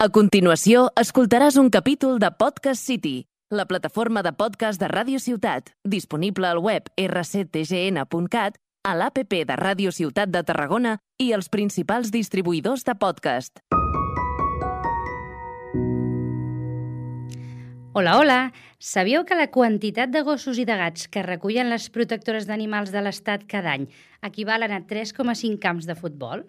A continuació, escoltaràs un capítol de Podcast City, la plataforma de podcast de Ràdio Ciutat, disponible al web rctgn.cat, a l'APP de Ràdio Ciutat de Tarragona i els principals distribuïdors de podcast. Hola, hola! Sabíeu que la quantitat de gossos i de gats que recullen les protectores d'animals de l'Estat cada any equivalen a 3,5 camps de futbol?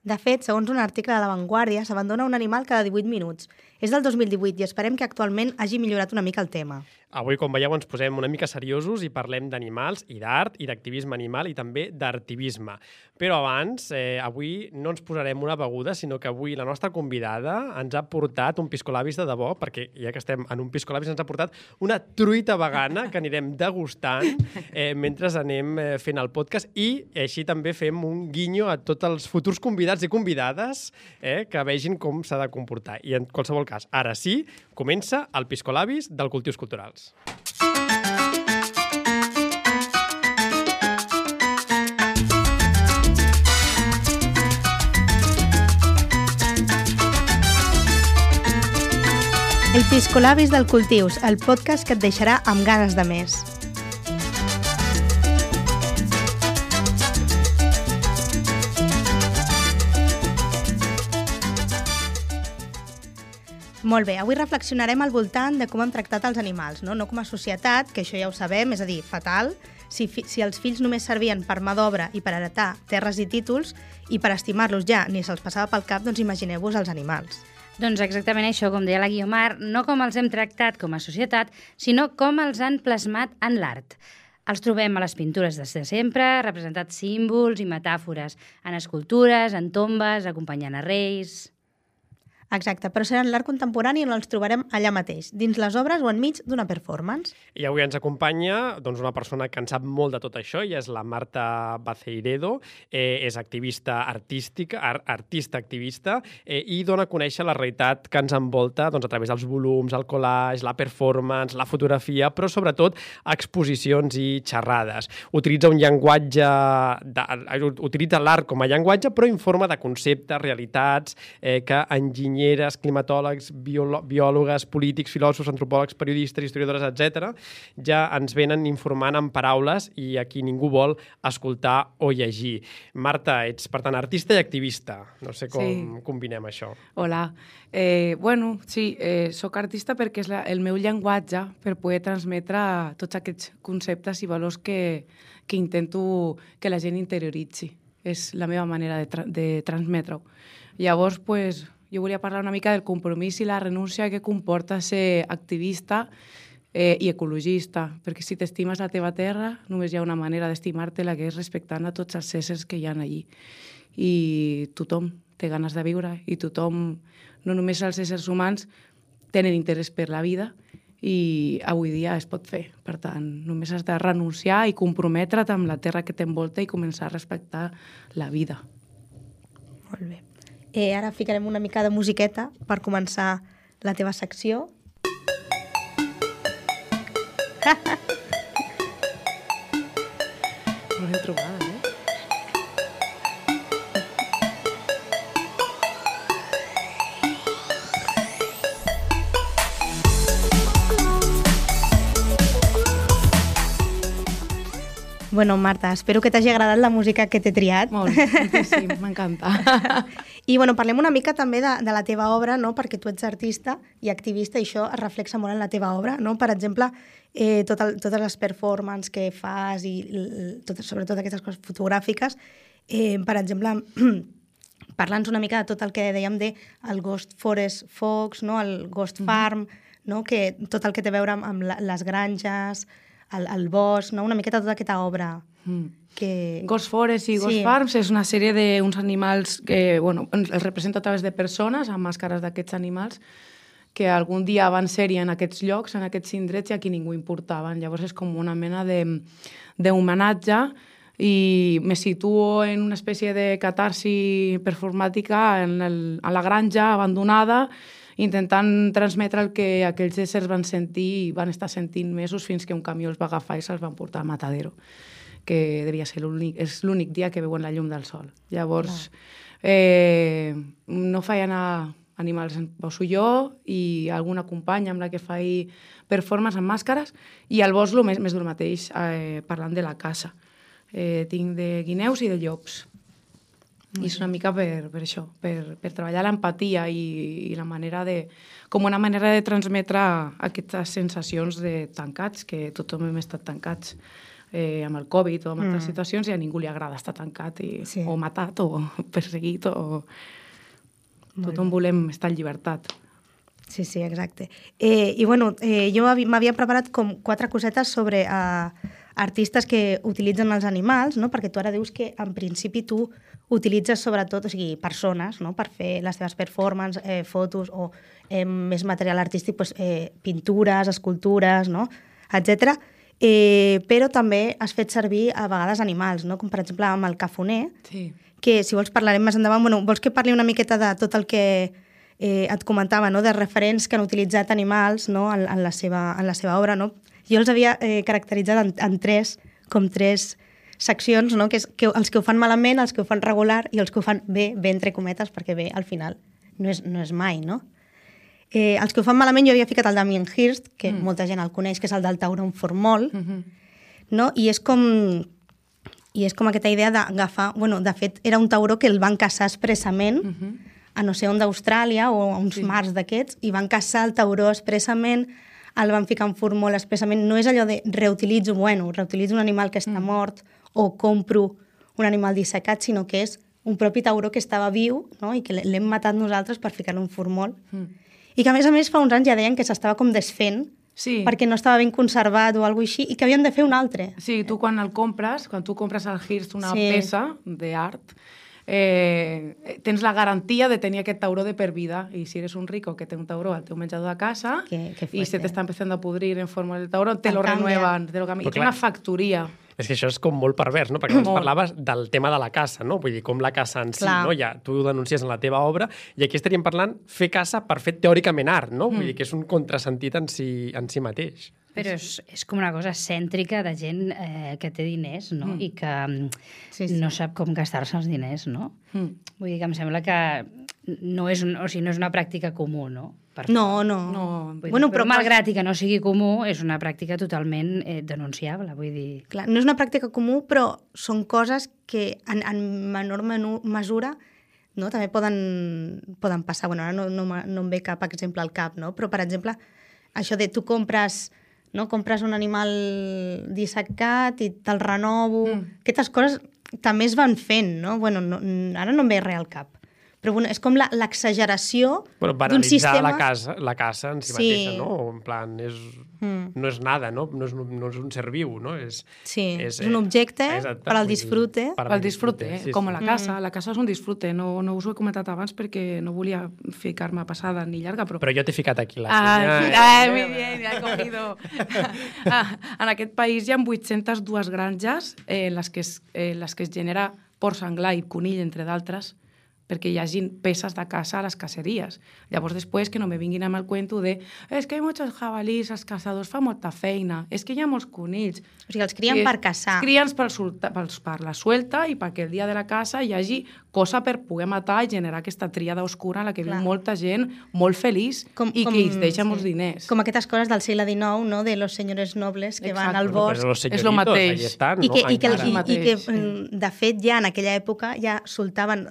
De fet, segons un article de La Vanguardia, s'abandona un animal cada 18 minuts. És del 2018 i esperem que actualment hagi millorat una mica el tema. Avui, com veieu, ens posem una mica seriosos i parlem d'animals i d'art i d'activisme animal i també d'artivisme. Però abans, avui no ens posarem una beguda, sinó que avui la nostra convidada ens ha portat un piscolabis de debò, perquè ja que estem en un piscolabis ens ha portat una truita vegana que anirem degustant mentre anem fent el podcast i així també fem un guinyo a tots els futurs convidats i convidades que vegin com s'ha de comportar. I en qualsevol cas, ara sí, comença el piscolabis del Cultius Culturals. El Piscolabis del Cultius, el podcast que et deixarà amb ganes de més. Molt bé, avui reflexionarem al voltant de com hem tractat els animals, no com a societat, que això ja ho sabem, és a dir, fatal. Si els fills només servien per mà d'obra i per heretar terres i títols, i per estimar-los ja ni se'ls passava pel cap, doncs imagineu-vos els animals. Doncs exactament això, com deia la Guiomar, no com els hem tractat com a societat, sinó com els han plasmat en l'art. Els trobem a les pintures des de sempre, representats símbols i metàfores, en escultures, en tombes, acompanyant a reis... Exacte, però serà en l'art contemporani on els trobarem allà mateix, dins les obres o enmig d'una performance. I avui ens acompanya una persona que en sap molt de tot això, i és la Marta Baceiredo, és activista artística, artista activista, i dona a conèixer la realitat que ens envolta a través dels volums, el collage, la performance, la fotografia, però sobretot exposicions i xerrades. Utilitza un llenguatge, utilitza l'art com a llenguatge, però informa de conceptes, realitats, que enginyen climatòlegs, biòlogues, polítics, filòsofs, antropòlegs, periodistes, historiadores, etc. ja ens venen informant en paraules i a qui ningú vol escoltar o llegir. Marta, ets, per tant, artista i activista. No sé com combinem això. Hola. Soc artista perquè és el meu llenguatge per poder transmetre tots aquests conceptes i valors que intento que la gent interioritzi. És la meva manera de transmetre-ho. Llavors, jo volia parlar una mica del compromís i la renúncia que comporta ser activista i ecologista, perquè si t'estimes la teva terra, només hi ha una manera d'estimar-te-la, que és respectant a tots els éssers que hi ha allí. I tothom té ganes de viure, i tothom, no només els éssers humans, tenen interès per la vida, i avui dia es pot fer. Per tant, només has de renunciar i comprometre't amb la terra que t'envolta i començar a respectar la vida. Molt bé. Ara ficarem una mica de musiqueta per començar la teva secció. Molt ben trobada, Bueno, Marta, espero que t'hagi agradat la música que t'he triat. Molt, sí, m'encanta. I parlem una mica també de la teva obra, no? Perquè tu ets artista i activista i això es reflexa molt en la teva obra, no? Per exemple, totes les performances que fas i sobretot aquestes coses fotogràfiques, per exemple, parla'ns una mica de tot el que dèiem del Ghost Forest Fox, no? El Ghost Farm, no? Que tot el que té a veure amb les granges, el bosc, no? Una miqueta tota aquesta obra. Ghost Forest i Ghost Farms és una sèrie d'uns animals que els representa a través de persones amb màscares d'aquests animals que algun dia van ser-hi en aquests llocs, en aquests indrets, i a qui ningú importaven. Llavors és com una mena d'homenatge i me situo en una espècie de catarsi performàtica a la granja abandonada, intentant transmetre el que aquells éssers van sentir i van estar sentint mesos fins que un camió els va agafar i se'ls van portar a Matadero, que devia ser l'únic dia que veuen la llum del sol. Llavors, no feia anar animals en poso jo i alguna companya amb la que faig performance amb màscares, i al bosc més del mateix, parlant de la caça. Tinc de guineus i de llops. I és una mica per això, per treballar l'empatia i la manera com una manera de transmetre aquestes sensacions de tancats, que tothom hem estat tancats amb el Covid o amb altres situacions, i a ningú li agrada estar tancat o matat o perseguit o... Tothom volem estar en llibertat. Sí, exacte. I bueno, jo m'havia preparat com 4 cosetes sobre artistes que utilitzen els animals, no? Perquè tu ara dius que en principi tu utilitzes sobretot, o sigui, persones, no? Per fer les teves performances, fotos o més material artístic, doncs, pintures, escultures, no? Etcètera. Però també has fet servir a vegades animals, no? Com per exemple amb el cafoner, que si vols parlarem més endavant. Bueno, vols que parli una miqueta de tot el que et comentava, no? De referents que han utilitzat animals, no? en la seva obra, no? Jo els havia caracteritzat en tres seccions, no? Que és els que ho fan malament, els que ho fan regular i els que ho fan bé entre cometes, perquè bé, al final, no és mai, no? Els que ho fan malament, jo havia ficat el Damien Hirst, que molta gent el coneix, que és el del tauró en formol, no? I és com aquesta idea d'agafar... Bueno, de fet, era un tauró que el van caçar expressament a no sé on d'Austràlia o a uns mars d'aquests, i van caçar el tauró expressament, el van ficar en formol expressament. No és allò de reutilitzo un animal que està mort o compro un animal dissecat, sinó que és un propi tauró que estava viu, no? I que l'hem matat nosaltres per ficar-lo en formol. I que, a més, fa uns anys ja deien que s'estava com desfent, perquè no estava ben conservat o alguna cosa així, i que havien de fer un altre. Sí, tu quan tu compres al Hirst una peça d'art, tens la garantia de tenir aquest tauró de per vida, i si eres un rico que té un tauró al teu menjador de casa i se t'està empezando a pudrir en forma del tauró, te lo renuevan, i té una factoria. És que això és com molt pervers, no? Perquè abans parlaves del tema de la caça, no? Vull dir, com la caça en si, no? Ja tu ho denuncies en la teva obra, i aquí estaríem parlant fer caça per fer teòricament art, no? Vull dir que és un contrasentit en si mateix. Però és com una cosa cèntrica de gent que té diners, no? I que no sap com gastar-se els diners, no? Vull dir que em sembla que no és una pràctica comú, no? No. Bueno, però malgrat i que no sigui comú, és una pràctica totalment denunciable, vull dir... Clar, no és una pràctica comú, però són coses que en menor mesura, no, també poden passar. Bueno, ara no em ve cap exemple al cap, no? Però, per exemple, això de tu compres un animal dissecat i te'l renovo... Aquestes coses també es van fent, no? Bueno, ara no em ve res al cap. Però bueno, és com l'exageració d'un sistema... la caça en si mateixa, no? En plan, no és nada, no? No és un ser viu, no? És un objecte per al disfrute. Per al disfrute, com la caça. La caça és un disfrute. No us ho he comentat abans perquè no volia ficar-me passada ni llarga, però... Però jo t'he ficat aquí la muy bien, ya he cogido. En aquest país hi ha 802 granges en les que es genera porc senglar i conill, entre d'altres, perquè hi hagi peces de caça a les caceries. Llavors, després, que no me vinguin amb el cuento de és que hi ha molts jabalís, els caçadors fan molta feina, és que hi ha molts conills. O sigui, els crien per caçar. Els crien per la suelta i perquè el dia de la caça hi hagi cosa per poder matar i generar aquesta tríada oscura en la que viu molta gent molt feliç i que ells deixen molts diners. Com aquestes coses del segle XIX, no? De los senyores nobles que van al bosc. És el mateix. I que, de fet, ja en aquella època ja soltaven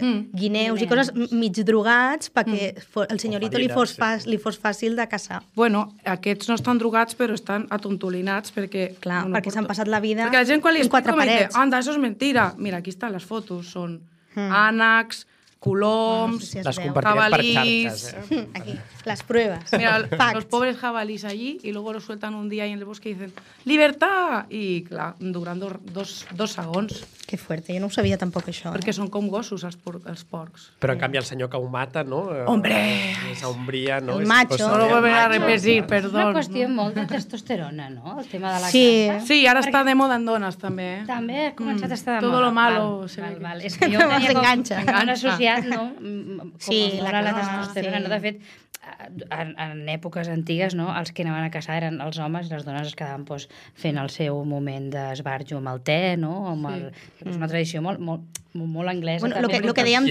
guineus i coses mig drogats perquè el senyorito li fos fàcil de caçar. Bueno, aquests no estan drogats però estan atontolinats perquè... Clar, perquè s'han passat la vida perquè la gent quan li explico me dice, anda, eso es mentira. Mira, aquí estan les fotos, són ànecs, coloms, no sé si les compartirem per xarxes. Aquí, las pruebas. Mira, los pobres jabalís allí y luego los sueltan un día ahí en el bosque y dicen ¡libertad! I, clar, durant dos segons. Que fuerte, jo no ho sabia tampoc, això. Perquè són com gossos, els porcs. Però, en canvi, el senyor que ho mata, no? ¡Hombre! Esa hombría, no? El macho. No lo vuelven a repetir, perdó. És una qüestió molt de testosterona, no? El tema de la caça. Sí, ara està de moda en dones, també. També ha començat a estar de moda. Todo lo malo. Val. És que jo ho tenia s'enganxa. com associat, no? Com Sí, la testosterona, no? De fet, en èpoques antigues, no? Els que anaven a caçar eren els homes i les dones es quedaven fent el seu moment d'esbarjo amb el te, no? És una tradició molt anglesa. Bueno, també, lo que dèiem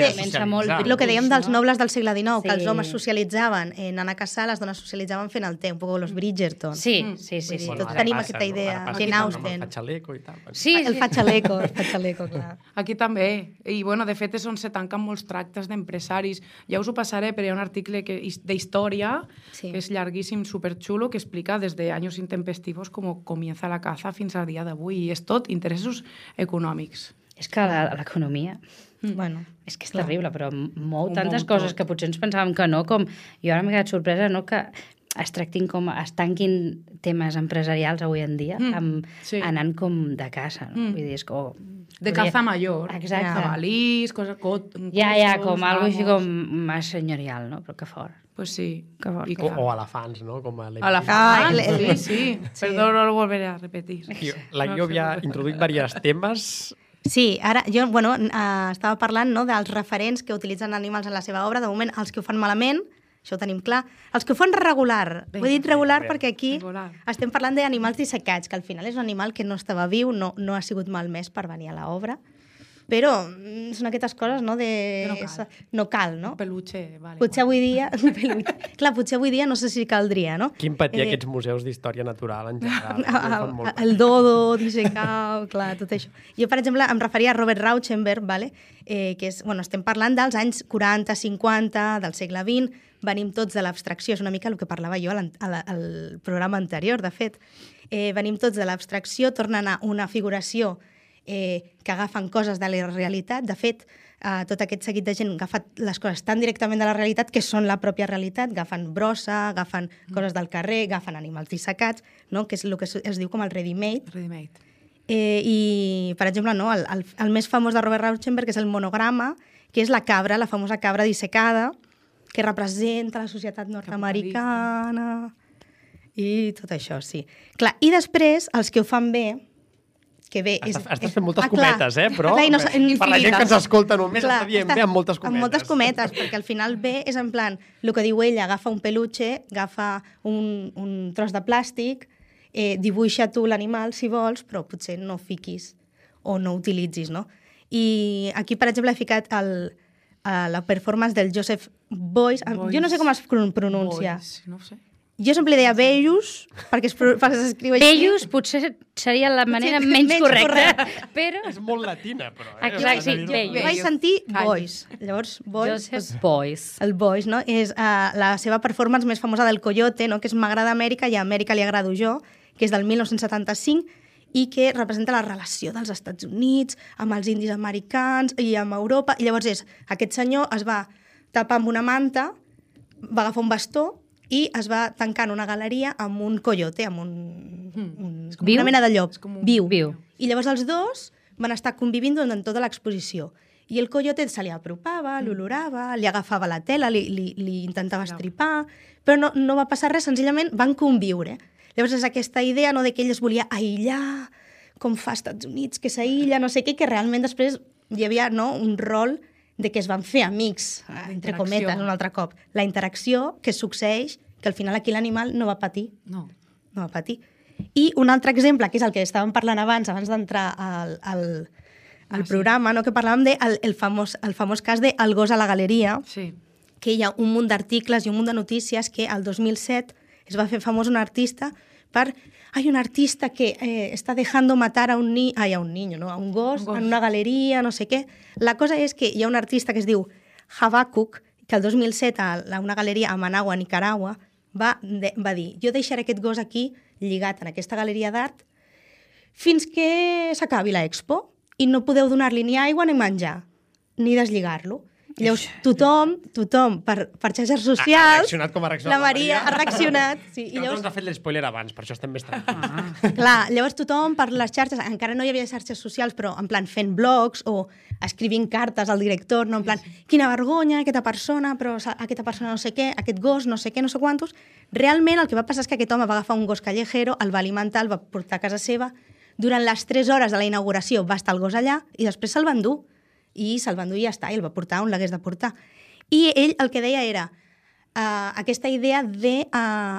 Lo que dèiem dels nobles del segle XIX, que els Sí. homes socialitzaven anant a caçar, les dones socialitzaven fent el te, un poc los Bridgerton. Sí. Tots tenim aquesta idea. Jane Austen. El xaleco i tal. Sí, El fatxaleco, clar. Aquí també. I, bueno, de fet, és on se tanquen molts tractes d'empresaris. Ja us ho passaré, però hi ha un article d'història, Sí. que és llarguíssim, superxulo, que explica des d'anys intempestivos com comienza la caza fins al dia d'avui. I és tot interessos econòmics. És que l'economia Bueno, és que és terrible, però mou Ho tantes mou coses tot. que potser ens pensàvem que no, com jo ara m'he quedat sorpresa, no, que es tanquin temes empresarials avui en dia sí. anant com de caça, no? Vull dir, és com... De caza mayor. Exacte. Jabalís, coses... Ja, com algo així com més senyorial, no? Però que fort. Pues sí. Que fort. I Que clar. O elefants, no? Com a A la Ah, sí. Perdó, no lo volveré a repetir. La Guió havia introduït diversos temes. sí, ara jo, bueno, estava parlant, no, dels referents que utilitzen animals en la seva obra. De moment, els que ho fan malament, això ho tenim clar. Els que ho fan regular. Ho he dit regular perquè aquí Regular. estem parlant d'animals dissecats, que al final és un animal que no estava viu, no ha sigut malmès per venir a l'obra. Però són aquestes coses, no? Que no cal. No cal, no? Un peluche, vale. Potser avui dia... Clar, potser avui dia no sé si caldria, no? Quin patir aquests museus d'història natural en general. Ho fan molt El dodo, dissecar, clar, tot això. Jo, per exemple, em referia a Robert Rauschenberg, vale? Que és, bueno, estem parlant dels anys 40, 50, del segle XX, venim tots de l'abstracció, és una mica el que parlava jo al programa anterior, de fet. Venim tots de l'abstracció, tornen a una figuració que agafen coses de la realitat. De fet, tot aquest seguit de gent agafa les coses tan directament de la realitat que són la pròpia realitat, agafen brossa, agafen coses del carrer, agafen animals dissecats, no? Que és el que es diu com el ready-made. Ready-made. I, per exemple, no, el més famós de Robert Rauschenberg és el monograma, que és la cabra, la famosa cabra dissecada, que representa la societat nord-americana i tot això, sí. Clar, i després, els que ho fan bé, que bé... Estàs fent moltes clar, cometes, però clar, i no, per la gent que ens escolta només clar, està dient bé amb moltes cometes. Amb moltes cometes, perquè al final bé és en plan, el que diu ella, agafa un peluche, agafa un tros de plàstic, dibuixa tu l'animal si vols, però potser no fiquis o no utilitzis, no? I aquí, per exemple, he ficat la performance del Joseph Beuys. Jo no sé com es pronuncia. Boys, no ho sé. Jo sempre li deia Beuys, perquè s'escriu així. Bellus potser seria la manera menys correcta, però... És molt latina, però. Exacte, sí, Beuys. Jo vaig sentir Beuys. Llavors, Beuys... Joseph Beuys. El Beuys, no? És la seva performance més famosa del Coyote, no? Que és M'agrada Amèrica i a Amèrica li agrado jo, que és del 1975 i que representa la relació dels Estats Units amb els indis americans i amb Europa. I llavors aquest senyor es va tapar amb una manta, va agafar un bastó i es va tancar en una galeria amb un coyote, amb Viu? una mena de llop. Viu. Viu. I llavors els dos van estar convivint durant tota l'exposició. I el coyote se li apropava, l'olorava, li agafava la tela, li intentava estripar, però no va passar res, senzillament van conviure. Llavors és aquesta idea, no, de que ell es volia aïllar, com fa als Estats Units, que s'aïlla, no sé què, que realment després hi havia, no, un rol de que es van fer amics, entre cometes, un altre cop. La interacció que succeeix, que al final aquí l'animal no va patir. No. No va patir. I un altre exemple, que és el que estàvem parlant abans d'entrar al programa, no? Que parlàvem del famós cas de El gos a la galeria, Sí. que hi ha un munt d'articles i un munt de notícies que el 2007 es va fer famós un artista per... un artista que està dejando matar a un niño, no? A un gos en una galeria, no sé què. La cosa és que hi ha un artista que es diu Habacuc, que el 2007 a una galeria a Managua, Nicaragua, va dir, jo deixaré aquest gos aquí lligat en aquesta galeria d'art fins que s'acabi l'expo i no podeu donar-li ni aigua ni menjar, ni deslligar-lo. I llavors tothom per xarxes socials... Ha reaccionat com ha reaccionat la Maria. Ha reaccionat. Sí, I llavors... ens ha fet l'espoiler abans, per això estem més tranquils. Clar, llavors tothom per les xarxes, encara no hi havia xarxes socials, però en plan fent blogs o escrivint cartes al director, no? En plan, quina vergonya, aquesta persona, però aquesta persona no sé què, aquest gos, no sé què, no sé quantos. Realment el que va passar és que aquest home va agafar un gos callejero, el va alimentar, el va portar a casa seva, durant les 3 hores de la inauguració va estar el gos allà i després se'l van dur. I se'l van dur i ja està, i el va portar on l'hagués de portar. I ell el que deia era aquesta idea de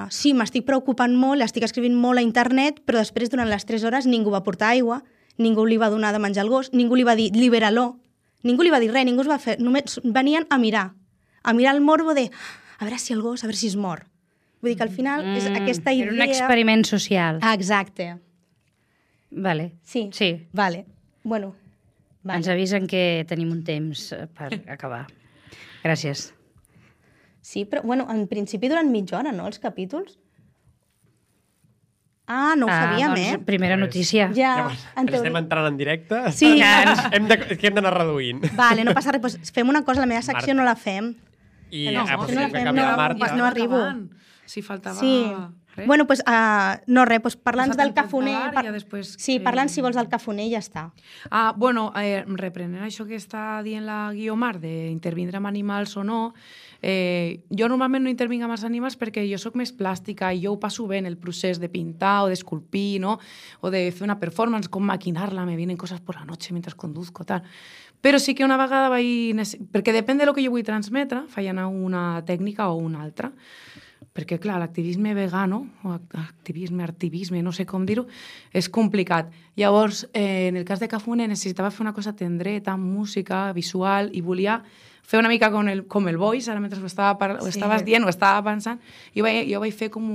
sí, m'estic preocupant molt, estic escrivint molt a internet, però després, durant les 3 hores, ningú va portar aigua, ningú li va donar de menjar al gos, ningú li va dir libera-lo, ningú li va dir res, ningú es va fer, només venien a mirar el morbo de a veure si el gos, a veure si es mor. Vull dir que al final és aquesta idea... Era un experiment social. Exacte. Vale. Sí. Vale. Bueno, vale. Ens avisen que tenim un temps per acabar. Gràcies. Sí, però, bueno, en principi duren mitja hora, no, els capítols? No ho sabíem, doncs, primera notícia. Ja, Llavors, estem entrant en directe? Sí. Hem d'anar reduint. Vale, no passa res. Doncs fem una cosa, la meva secció no la fem. I no no la fem, no arribo. Si faltava... Sí. res. Bueno, doncs, no res, doncs parla'ns del cafoner. I ja després... Sí, parla'ns, si vols, del cafoner i ja està. Bueno, reprenent això que està dient la Guiomar, d'intervindre amb animals o no, jo normalment no intervinc amb els animals perquè jo sóc més plàstica i jo ho passo bé en el procés de pintar o d'esculpir, ¿no? O de fer una performance, com maquinarla, me vienen cosas por la noche mientras conduzco, tal. Però sí que una vegada vaig... Perquè depèn de lo que jo vull transmetre, faig anar una tècnica o una altra. Perquè, clar, l'activisme vegano, o activisme, no sé com dir-ho, és complicat. Llavors, en el cas de Cafoner, necessitava fer una cosa tendreta, música, visual, i volia fer una mica com el voice, ara mentre ho estaves dient, ho estava pensant, jo vaig fer com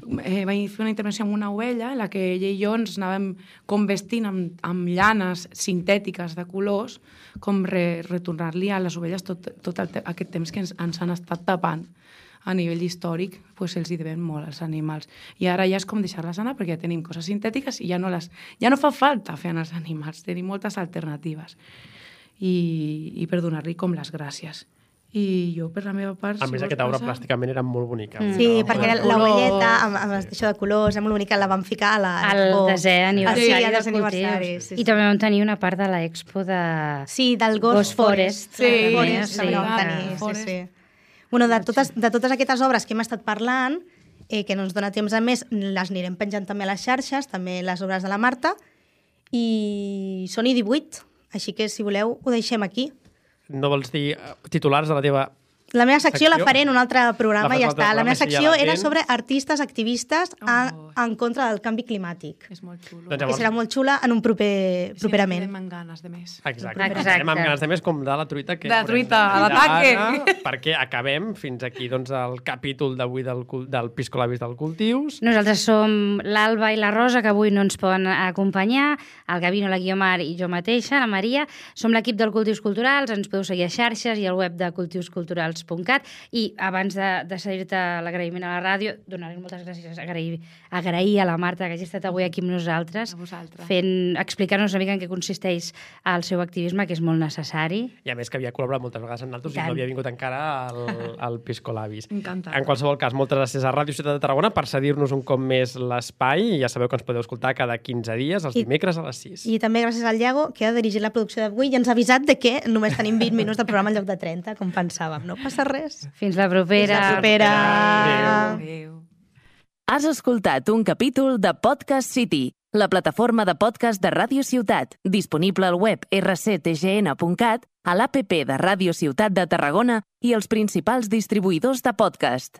vaig fer una intervenció amb una ovella en la que ella i jo ens anàvem com vestint amb llanes sintètiques de colors, com retornar-li a les ovelles tot aquest temps que ens han estat tapant. A nivell històric, pues, els hi devem molt als animals. I ara ja és com deixar-les anar, perquè ja tenim coses sintètiques i ja no fa falta fer anar els animals, tenim moltes alternatives. I per donar-li com les gràcies. I jo, per la meva part... A més, aquesta obra plàsticament era molt bonica. Sí, perquè l'ovelleta, amb això de colors, era molt bonica, la vam ficar al desè aniversari de Cultius. I també vam tenir una part de l'expo de... Sí, del Ghost Forest. Sí, sí. Bueno, de totes aquestes obres que hem estat parlant, que no ens dona temps a més, les anirem penjant també a les xarxes, també les obres de la Marta, i són 18, així que, si voleu, ho deixem aquí. No vols dir titulars de la teva... La meva secció la faré en un altre programa i ja està. La meva secció ja era sobre artistes activistes en contra del canvi climàtic. És molt xulo. Que serà molt xula en un properament. Sí, ens amb ganes de més. Exacte. Anem amb ganes de més, com de la truita. De la truita, a l'ataque. Perquè acabem fins aquí doncs, el capítol d'avui del Piscolabis del Cultius. Nosaltres som l'Alba i la Rosa, que avui no ens poden acompanyar, el Gavino, la Guiomar i jo mateixa, la Maria. Som l'equip del Cultius Culturals, ens podeu seguir a xarxes i al web de cultiusculturals.cat. I abans de cedir-te l'agraïment a la ràdio, donar-li moltes gràcies, agrair a la Marta que hagi estat avui aquí amb nosaltres, explicant-nos una mica en què consisteix el seu activisme, que és molt necessari. I a més que havia col·laborat moltes vegades amb nosaltres i no havia vingut encara al Piscolabis. Encantat. En qualsevol cas, moltes gràcies a Ràdio Ciutat de Tarragona per cedir-nos un cop més l'espai, i ja sabeu que ens podeu escoltar cada 15 dies, els dimecres a les 6. I també gràcies al Iago, que ha dirigit la producció d'avui i ens ha avisat de que només tenim 20 minuts de programa en lloc de 30, com pensàvem. No passa res. Fins la propera. Adéu. Has escoltat un capítol de Podcast City, la plataforma de podcast de Ràdio Ciutat, disponible al web rctgn.cat, a l'APP de Ràdio Ciutat de Tarragona i els principals distribuïdors de podcast.